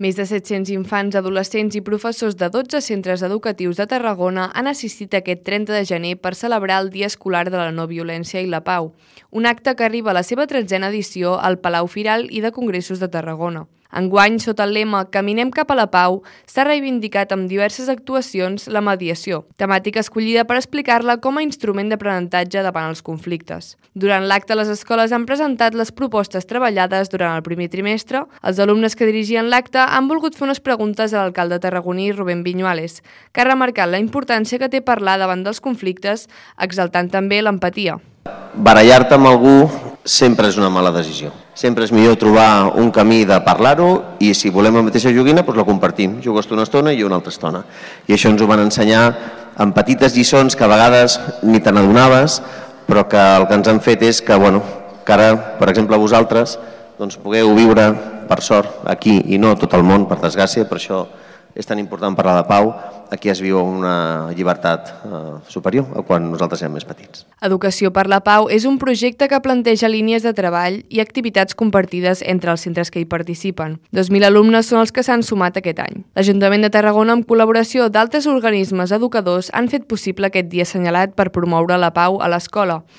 Més de 700 infants, adolescents i professors de 12 centres educatius de Tarragona han assistit aquest 30 de gener per celebrar el Dia Escolar de la No Violència i la Pau, un acte que arriba a la seva 13a edició al Palau Firal i de Congressos de Tarragona. Enguany, sota el lema Caminem cap a la pau, s'ha reivindicat amb diverses actuacions la mediació, temàtica escollida per explicar-la com a instrument d'aprenentatge davant els conflictes. Durant l'acte, les escoles han presentat les propostes treballades durant el primer trimestre. Els alumnes que dirigien l'acte han volgut fer unes preguntes a l'alcalde tarragoní Rubén Viñuales, que ha remarcat la importància que té parlar davant dels conflictes, exaltant també l'empatia. Barallar-te amb algú sempre és una mala decisió. Sempre és millor trobar un camí de parlar-ho i si volem la mateixa joguina, doncs la compartim. Jugues tu una estona i jo una altra estona. I això ens ho van ensenyar en petites lliçons que a vegades ni te n'adonaves, però que el que ens han fet és que ara, per exemple, vosaltres pugueu viure, per sort, aquí i no a tot el món, per desgràcia, per això és tan important parlar de pau. Aquí es viu una llibertat superior a quan nosaltres érem més petits. Educació per la Pau és un projecte que planteja línies de treball i activitats compartides entre els centres que hi participen. 2.000 alumnes són els que s'han sumat aquest any. L'Ajuntament de Tarragona, amb col·laboració d'altres organismes educadors, han fet possible aquest dia assenyalat per promoure la pau a l'escola.